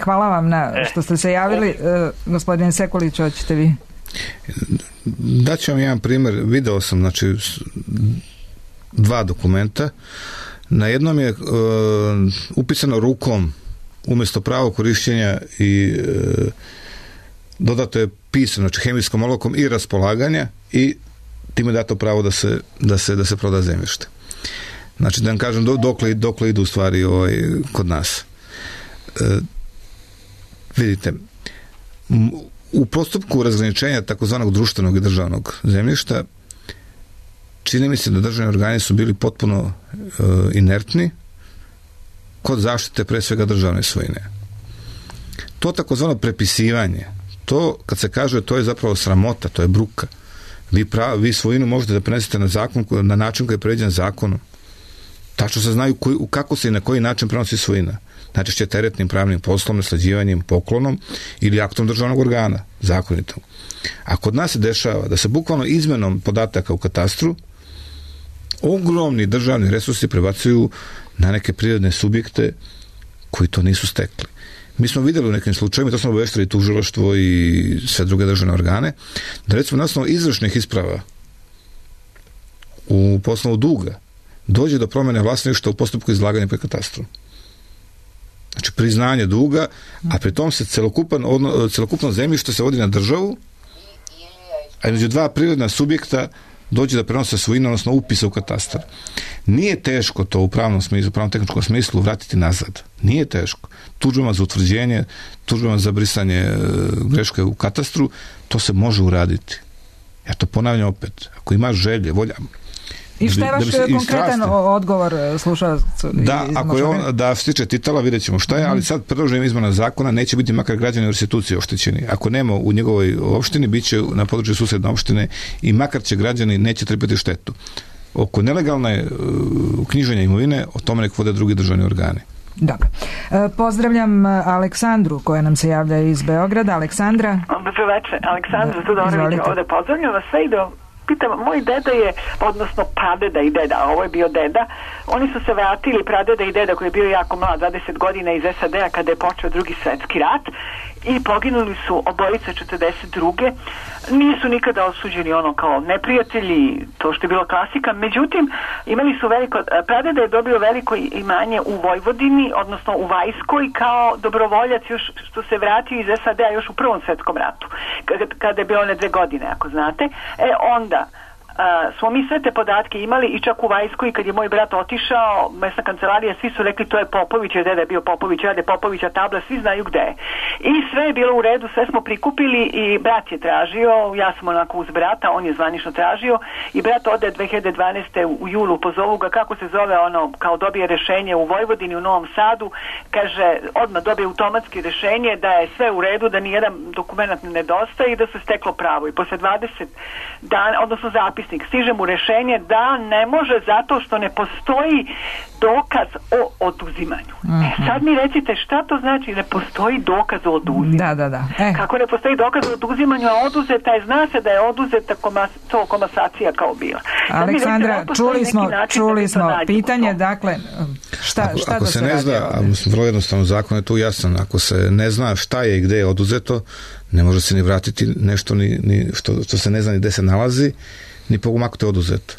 [SPEAKER 3] Hvala vam što ste se javili. Gospodin Sekulić, hoćete vi?
[SPEAKER 4] Daću vam jedan primjer. Video sam, znači, 2 dokumenta. Na jednom je upisano rukom umjesto pravo korišćenja i dodato je pisano, znači hemijskom olovkom i raspolaganja, i time je dato pravo da se proda zemljište. Znači, da vam kažem dokle idu u stvari kod nas. Vidite, u postupku razgraničenja takozvanog društvenog i državnog zemljišta čini mi se da državni organi su bili potpuno inertni kod zaštite pre svega državne svojine. To takozvano prepisivanje, to kad se kaže, to je zapravo sramota, to je bruka. Vi svojinu možete da prenesete na način koji je predviđen zakonom. Tačno se znaju kako se i na koji način prenosi svojina. Najčešće teretnim pravnim poslom, nasleđivanjem, poklonom ili aktom državnog organa, zakonitom. A kod nas se dešava da se bukvalno izmenom podataka u katastru ogromni državni resursi prebacuju na neke prirodne subjekte koji to nisu stekli. Mi smo vidjeli u nekim slučajima, to smo obaveštili tužilaštvo i sve druge državne organe, da recimo na osnovu izvršnih isprava u poslovu duga dođe do promjene vlasništva u postupku izlaganja pred katastrom. Znači priznanje duga, a pri tom se celokupno zemljište se vodi na državu, a između dva prirodna subjekta dođe da prenose svojinu, odnosno upisa u katastar. Nije teško to u pravnom smislu, u pravno-tehničkom smislu vratiti nazad. Nije teško. Tužbama za utvrđenje, tužbama za brisanje greške u katastru, to se može uraditi. Ja to ponavljam opet. Ako imaš želje, volja...
[SPEAKER 3] I šta je vaš konkretan odgovor slušalcu?
[SPEAKER 4] Da se tiče titala, vidjet ćemo šta je, ali sad predloženim izmena zakona neće biti makar građani u restituciji oštećeni. Ako nema u njegovoj opštini, bit će na području susedne opštine i makar će građani neće trpiti štetu. Oko nelegalne uknjiženja imovine, o tome nek vode drugi državni organi.
[SPEAKER 3] Dobro. Pozdravljam Aleksandru koja nam se javlja iz Beograda. Aleksandra.
[SPEAKER 12] Dobro večer. Aleksandra Tudorović ovde. Pozdravljam vas sve i pitam, moj deda je, odnosno pradeda i deda, a ovo je bio deda, oni su se vratili, pradeda i deda koji je bio jako mlad, 20 godina iz SAD-a kada je počeo Drugi svjetski rat i poginuli su obojice 42. Nisu nikada osuđeni ono kao neprijatelji, to što je bilo klasika, međutim imali su veliko, pradeda je dobio veliko imanje u Vojvodini, odnosno u Vajskoj kao dobrovoljac još što se vratio iz SAD-a još u Prvom svjetskom ratu, kada je bio one 2 godine, ako znate. Onda smo mi sve te podatke imali i čak u Vajskoj kad je moj brat otišao, mesna kancelarija, svi su rekli to je Popović, jer deda je bio Popović, rade Popovića tabla, svi znaju gde je. I sve je bilo u redu, sve smo prikupili i brat je tražio, ja sam onako uz brata, on je zvanično tražio i brat ode 2012. u julu, pozovu ga kako se zove ono, kao dobije rešenje u Vojvodini, u Novom Sadu, kaže, odmah dobije automatski rešenje da je sve u redu, da nijedan dokument ne nedostaje i da se steklo pravo. I posle 20 dana, odnosno zapis stiže mu rešenje da ne može zato što ne postoji dokaz o oduzimanju. Sad mi recite šta to znači ne postoji dokaz o oduzimanju?
[SPEAKER 3] Da.
[SPEAKER 12] Kako ne postoji dokaz o oduzimanju, a oduzeta je, zna se da je oduzeta komasacija kao bila.
[SPEAKER 3] Aleksandra, čuli smo pitanje, dakle, šta
[SPEAKER 4] ako se ne zna, vrlo jednostavno zakon je tu jasan, ako se ne zna šta je i gde je oduzeto, ne može se ni vratiti nešto ni što se ne zna ni gde se nalazi, ni pogumaknuti oduzeto.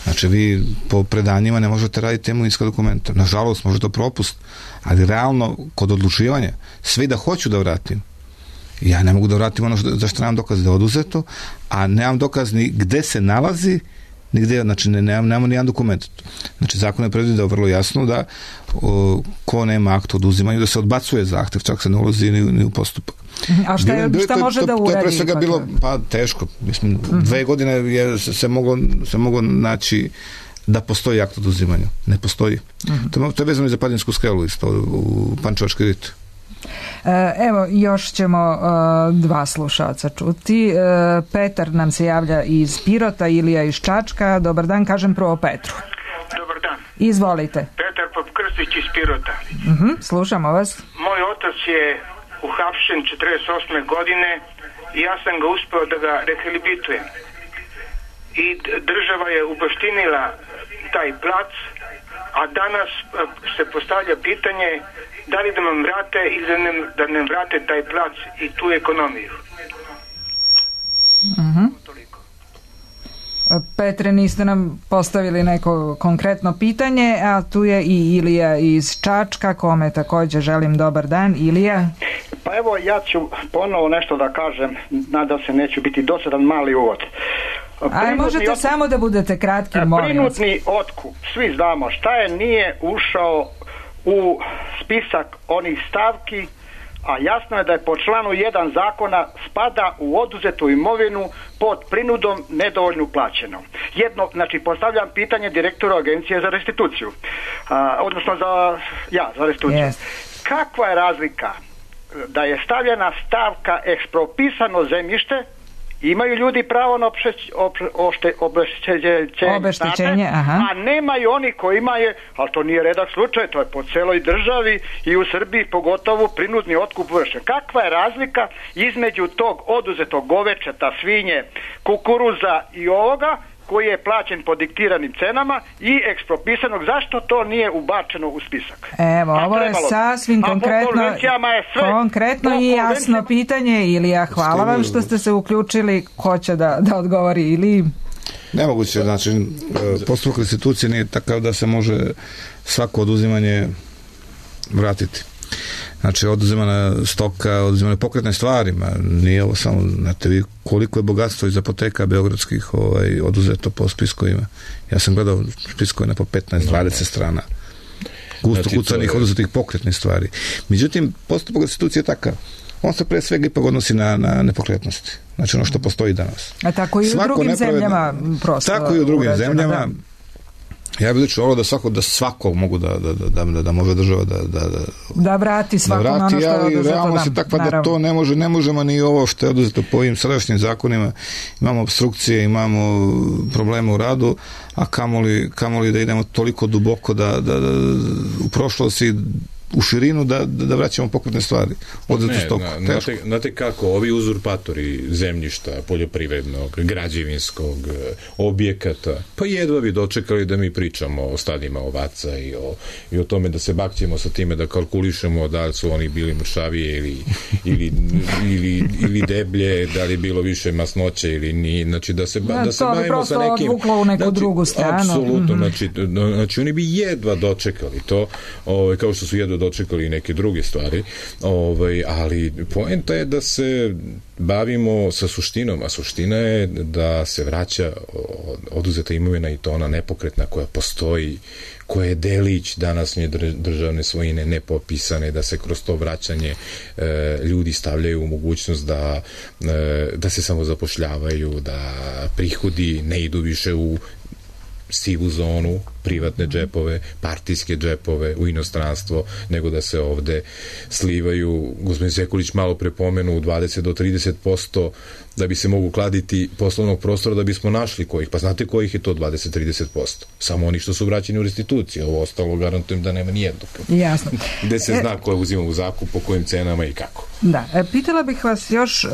[SPEAKER 4] Znači vi po predanjima ne možete raditi imovinska dokumenta. Nažalost, može to propust, ali realno kod odlučivanja sve da hoću da vratim, ja ne mogu da vratim ono za što nemam dokaz da je oduzeto, a nemam dokaz ni gde se nalazi, nigde, znači nemamo ni jedan dokument. Znači zakon je predvidio vrlo jasno da ko nema akt o oduzimanju da se odbacuje zahtev, čak se ne ulazi ni u postupak.
[SPEAKER 3] A šta može da uradi?
[SPEAKER 4] To je pre svega bilo teško. Mislim, 2 godine se moglo naći da postoji akt o oduzimanju. Ne postoji. To je vezano i za Padinjsku skelu isto u Pančevačkoj riti.
[SPEAKER 3] Evo, još ćemo 2 slušalca čuti. Petar nam se javlja iz Pirota, Ilija iz Čačka. Dobar dan, kažem prvo Petru.
[SPEAKER 13] Dobar dan.
[SPEAKER 3] Izvolite.
[SPEAKER 13] Petar Popkrstić iz Pirota.
[SPEAKER 3] Slušamo vas.
[SPEAKER 13] Moj otac je uhapšen 48. godine i ja sam ga uspeo da ga rehabilitujem. I država je ubaštinila taj plac, a danas se postavlja pitanje da li da nam vrate ili da nam vrate taj plac i tu ekonomiju.
[SPEAKER 3] Petre, niste nam postavili neko konkretno pitanje, a tu je i Ilija iz Čačka, kome također želim dobar dan. Ilija?
[SPEAKER 14] Pa evo, ja ću ponovo nešto da kažem, nadam se neću biti dosadan, mali uvod.
[SPEAKER 3] Ali možete samo da budete kratki, molim vas.
[SPEAKER 14] Prinudni otkup, svi znamo šta je, nije ušao u spisak onih stavki, a jasno je da je po članu 1 zakona spada u oduzetu imovinu pod prinudom nedovoljno plaćeno. Znači postavljam pitanje direktoru Agencije za restituciju, odnosno za restituciju.
[SPEAKER 3] Yes.
[SPEAKER 14] Kakva je razlika da je stavljena stavka ekspropisano zemljište imaju ljudi pravo na obeštećenje, a nemaju oni koji imaju, ali to nije redak slučaj, to je po celoj državi i u Srbiji pogotovo prinudni otkup vršen. Kakva je razlika između tog oduzetog govečeta, svinje, kukuruza i ovoga koji je plaćen po diktiranim cenama i ekspropisanog, zašto to nije ubačeno u spisak?
[SPEAKER 3] Evo, ovo je sasvim konkretno i jasno pitanje, Ilija, hvala vam što ste se uključili, ko će da odgovori, ili...
[SPEAKER 4] Nemoguće, znači, postupak restitucije nije takav da se može svako oduzimanje vratiti. Znači, oduzimana stoka, oduzimane pokretne stvarima, nije ovo samo, znate vi koliko je bogatstvo iz apoteka beogradskih oduzeto po spiskovima. Ja sam gledao spiskovima po 15-20 strana. Gusto kucanih oduzetih pokretnih stvari. Međutim, postupak restitucije je takav. On se pre svega ipak odnosi na nepokretnosti. Znači ono što postoji danas.
[SPEAKER 3] A tako i u drugim zemljama prosto.
[SPEAKER 4] Tako i u drugim zemljama. Ja bih lično volio da svako mogu da može država
[SPEAKER 3] da vrati svako ono što je oduzeto.
[SPEAKER 4] Ali realnost je takva da to ne možemo ni ovo što je oduzeto po ovim sadašnjim zakonima. Imamo obstrukcije, imamo probleme u radu, a kamoli da idemo toliko duboko da u prošlosti u širinu da vraćamo pokretne stvari.
[SPEAKER 5] Znate kako, ovi uzurpatori zemljišta, poljoprivrednog, građevinskog, objekata, pa jedva bi dočekali da mi pričamo o stadima ovaca i o tome da se bakćemo sa time, da kalkulišemo da li su oni bili mršavije ili deblje, da li bilo više masnoće ili nije, znači da se bavimo sa nekim...
[SPEAKER 3] To bi prosto odvuklo u neku drugu stranu.
[SPEAKER 5] Apsolutno, znači oni bi jedva dočekali to, kao što su jedva dočekali i neke druge stvari, ali poenta je da se bavimo sa suštinom, a suština je da se vraća oduzeta imovina i to ona nepokretna koja postoji, koja je delić današnje državne svojine nepopisane, da se kroz to vraćanje ljudi stavljaju u mogućnost da se samo zapošljavaju, da prihodi ne idu više u sivu zonu, privatne džepove, partijske džepove u inostranstvo, nego da se ovde slivaju, gospodin Sekulić malo prepomenu, 20 do 30% da bi se mogu kladiti poslovnog prostora da bismo našli kojih. Pa znate kojih je to 20-30%? Samo oni što su vraćeni u restituciju. Ovo ostalo garantujem da nema nijednog.
[SPEAKER 3] Jasno.
[SPEAKER 5] Gde se zna ko je uzima u zakup, po kojim cenama i kako.
[SPEAKER 3] Da. Pitala bih vas još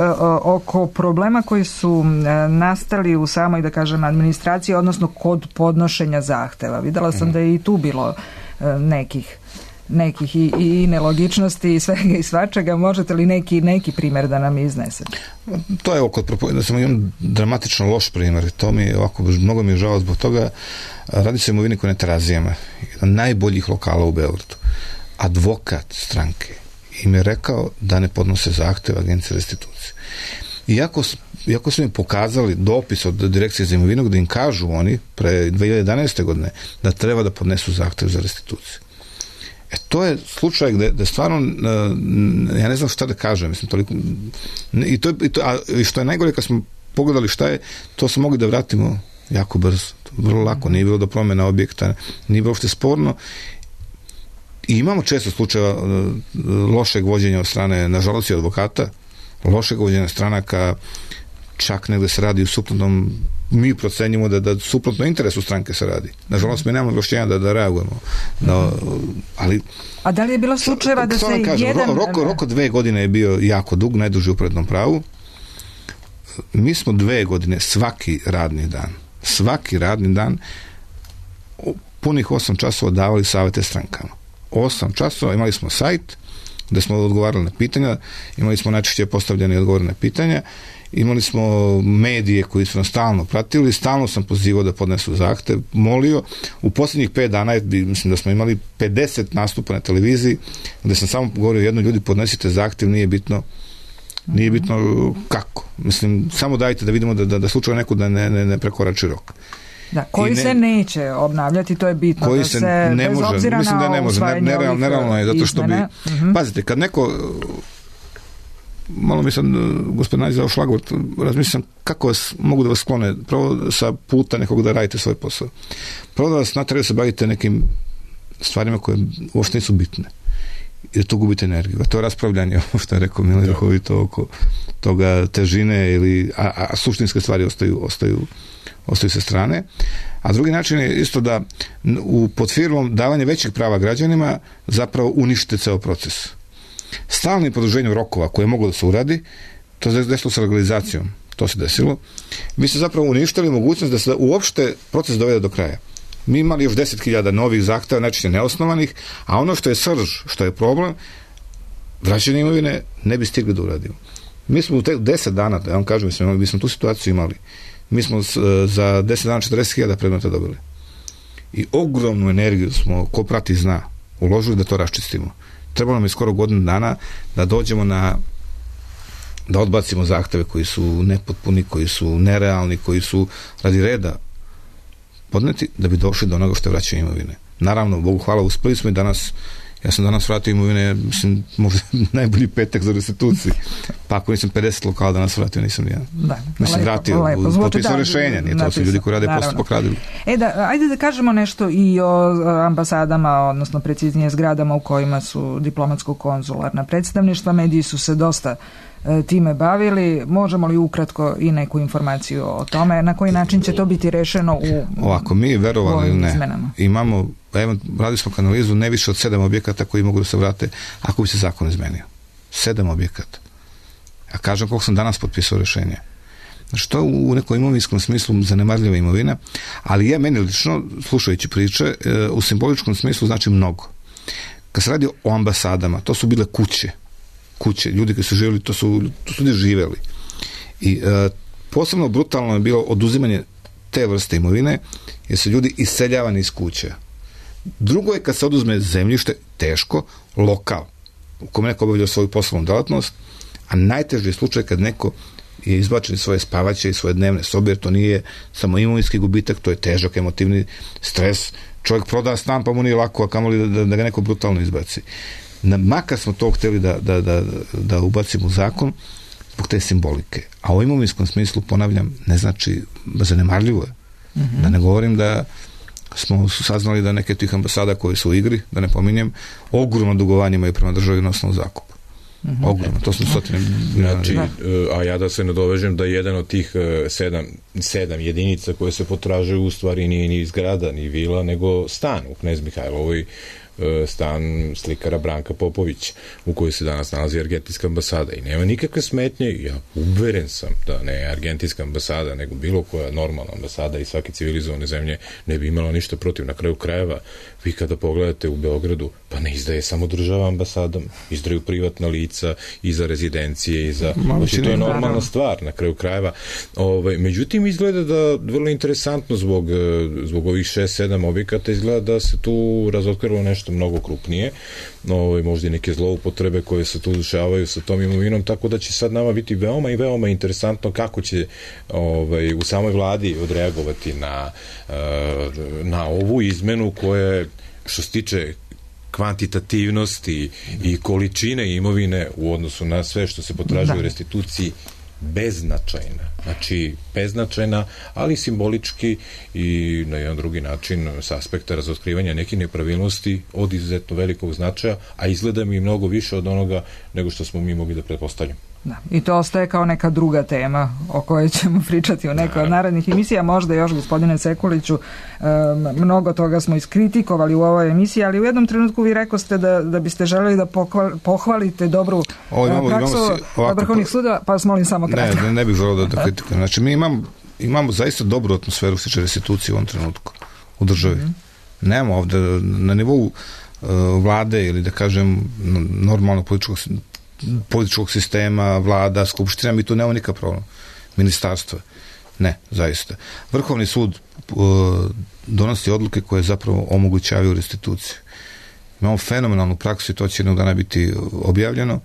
[SPEAKER 3] oko problema koji su nastali u samoj, da kažem, administraciji, odnosno kod podnošenja zahteva. Videla sam da je i tu bilo nekih i nelogičnosti i svega i svačega. Možete li neki primjer da nam iznesete?
[SPEAKER 4] To je da sam imam dramatično loš primjer. To mi je ovako, mnogo mi je žao zbog toga. Radi se o imovini koja je na Terazijama. Jedan najboljih lokala u Beogradu. Advokat stranke im je rekao da ne podnose zahtev Agencije restitucije. Iako su im pokazali dopis od Direkcije za imovinu gde im kažu oni pre 2011. godine da treba da podnesu zahtev za restituciju. To je slučaj gde stvarno ja ne znam šta da kažem, mislim, toliko, i što je najgore kad smo pogledali šta je, to smo mogli da vratimo jako brzo, vrlo lako, nije bilo do promjena objekta, nije bilo uopšte sporno. I imamo često slučajeva lošeg vođenja od strane, nažalost i advokata, lošeg vođenja stranaka, čak negde se radi u suprotnom, mi procenjimo da suprotno interesu stranke se radi. Nažalost, mi nemamo ovlašćenja da reagujemo. Ali... A
[SPEAKER 3] da li je bilo slučajeva da se jedan...
[SPEAKER 4] Rok od 2 godine je bio jako dug, najduži u prednom pravu. Mi smo 2 godine svaki radni dan punih 8 časova davali savete strankama. 8 časova, imali smo sajt gde smo odgovarali na pitanja, imali smo najčešće postavljene i odgovorene pitanja, imali smo medije koji su nas stalno pratili, stalno sam pozivao da podnesu zahtev, molio. U posljednjih 5 dana mislim da smo imali 50 nastupa na televiziji gde sam samo govorio jedno, ljudi, podnesite zahtev, nije bitno kako. Mislim, samo dajte da vidimo da slučajno neko da ne prekorači rok.
[SPEAKER 3] Da, koji se neće obnavljati, to je bitno.
[SPEAKER 4] Koji se ne može, mislim da ne može, nerealno je, zato što bi... Pazite, kad neko... Malo mi sam, gospodin Nađi, dao šlagvort, razmišljam kako mogu da vas sklone, prvo sa puta nekog da radite svoj posao. Prvo da vas natraju da se bavite nekim stvarima koje uopšte nisu bitne. i da tu gubite energiju. A to raspravljanje, ovo što je rekao Mile duhovito oko toga težine a suštinske stvari ostaju sa strane. A drugi način je isto da pod firmom davanja većih prava građanima zapravo uništite ceo proces. Stalnim produženjem rokova koje je moglo da se uradi, to se desilo sa legalizacijom, to se desilo, vi ste zapravo uništili mogućnost da se uopšte proces dovede do kraja. Mi imali još 10.000 novih zahteva, najčešće neosnovanih, a ono što je srž, što je problem, vraćanje imovine ne bi stigli da uradimo. Mi smo u 10 dana, da vam kažem, mi smo tu situaciju imali. Mi smo za 10 dana 40.000 predmeta dobili. I ogromnu energiju smo, ko prati zna, uložili da to raščistimo. Trebalo nam je skoro godinu dana da dođemo da odbacimo zahteve koji su nepotpuni, koji su nerealni, koji su radi reda podneti, da bi došli do onoga što je vraćanje imovine. Naravno, Bogu hvala, uspeli smo i danas, ja sam danas vratio imovine, mislim, možda najbolji petak za restituciju. Pa ako nisam 50 lokala danas vratio, nisam nijedan. Da, mislim, vratio, potpisao rješenja, nije to su ljudi koji rade postupak radili.
[SPEAKER 3] Ajde da kažemo nešto i o ambasadama, odnosno preciznije zgradama u kojima su diplomatsko-konzularna predstavništva. Mediji su se dosta time bavili. Možemo li ukratko i neku informaciju o tome? Na koji način će to biti rešeno
[SPEAKER 4] ovako, mi verovali ili ne, izmenama? Imamo, radili smo analizu ne više od 7 objekata koji mogu da se vrate ako bi se zakon izmenio. 7 objekata. A kažem koliko sam danas potpisao rešenje. Znači, to u nekom imovinskom smislu zanemarljiva imovina, ali je meni lično, slušajući priče, u simboličkom smislu znači mnogo. Kad se radi o ambasadama, to su bile kuće, ljudi koji su živjeli, to su ljudi živjeli. I posebno brutalno je bilo oduzimanje te vrste imovine, jer su ljudi iseljavani iz kuća. Drugo je kad se oduzme zemljište, teško, lokal, u kome neko obavlja svoju poslovnu delatnost, a najteži je slučaj kad neko je izbačen iz svoje spavaće i svoje dnevne sobe, jer to nije samo imovinski gubitak, to je težak emotivni stres. Čovjek proda stan, pa mu nije lako, a kamoli da ga neko brutalno izbaci. Makar smo to htjeli da ubacimo u zakon zbog te simbolike. A u imovinskom smislu, ponavljam, ne znači zanemarljivo je. Mm-hmm. Da ne govorim da smo saznali da neke tih ambasada koje su u igri, da ne pominjem, ogromno dugovanje imaju prema državi na osnovu zakupa. Mm-hmm. Ogromno, to su stotine.
[SPEAKER 5] Znači, a ja da se nadovežem da jedan od tih 7 jedinica koje se potražuju u stvari nije ni zgrada, ni vila, nego stan u Knez Mihajlovoj, stan slikara Branka Popović, u kojoj se danas nalazi argentinska ambasada i nema nikakve smetnje. Ja uveren sam da ne argentinska ambasada, nego bilo koja normalna ambasada i svake civilizovane zemlje ne bi imala ništa protiv. Na kraju krajeva, vi kada pogledate u Beogradu, pa ne izdaje samo država ambasadom, izdaju privatna lica i za rezidencije i za... Znači, to je normalna stvar na kraju krajeva. Međutim, izgleda da vrlo interesantno zbog ovih 6-7 objekata izgleda da se tu razotkrilo nešto mnogo krupnije, možda i neke zloupotrebe koje se tu dešavaju sa tom imovinom, tako da će sad nama biti veoma i veoma interesantno kako će u samoj vladi odreagovati na ovu izmenu koja, što se tiče kvantitativnosti i količine imovine u odnosu na sve što se potražuje u restituciji, beznačajna. Znači, beznačajna, ali simbolički i na jedan drugi način s aspekta razotkrivanja nekih nepravilnosti od izuzetno velikog značaja, a izgleda mi mnogo više od onoga nego što smo mi mogli da pretpostavljamo.
[SPEAKER 3] Da. I to ostaje kao neka druga tema o kojoj ćemo pričati u nekoj od narednih emisija. Možda još, gospodine Sekuliću, mnogo toga smo iskritikovali u ovoj emisiji, ali u jednom trenutku vi rekoste da biste želeli da pohvalite dobru praksu vrhovnih suda, pa vas molim samo kratko.
[SPEAKER 4] Ne bih želeo da kritikujem. Znači, mi imamo zaista dobru atmosferu što se tiče restitucije u ovom trenutku u državi. Nemamo ovde na nivou vlade ili da kažem normalnog političkog sistema, vlada, skupština, mi tu nemamo nikakav problem. Ministarstva. Ne, zaista. Vrhovni sud donosi odluke koje zapravo omogućavaju restituciju. Imamo fenomenalnu praksu i to će jednog dana biti objavljeno,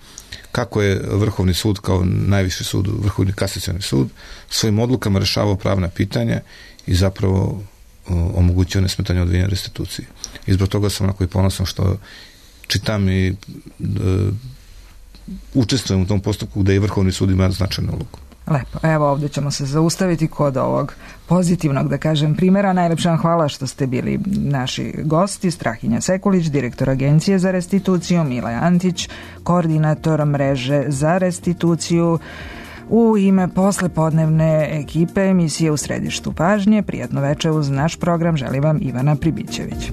[SPEAKER 4] kako je Vrhovni sud kao najviši sud, Vrhovni kasacioni sud, svojim odlukama rešavao pravna pitanja i zapravo omogućio nesmetanje odvijanja restitucije. I zbog toga sam onako i ponosan što čitam i učestvujem u tom postupku gde i Vrhovni sud ima značajnu ulogu.
[SPEAKER 3] Lepo. Evo, ovdje ćemo se zaustaviti kod ovog pozitivnog, da kažem, primjera. Najlepša vam hvala što ste bili naši gosti. Strahinja Sekulić, direktor Agencije za restituciju, Mile Antić, koordinator mreže za restituciju. U ime poslepodnevne ekipe emisije U središtu pažnje, prijatno večer uz naš program želi vam Ivana Pribićević.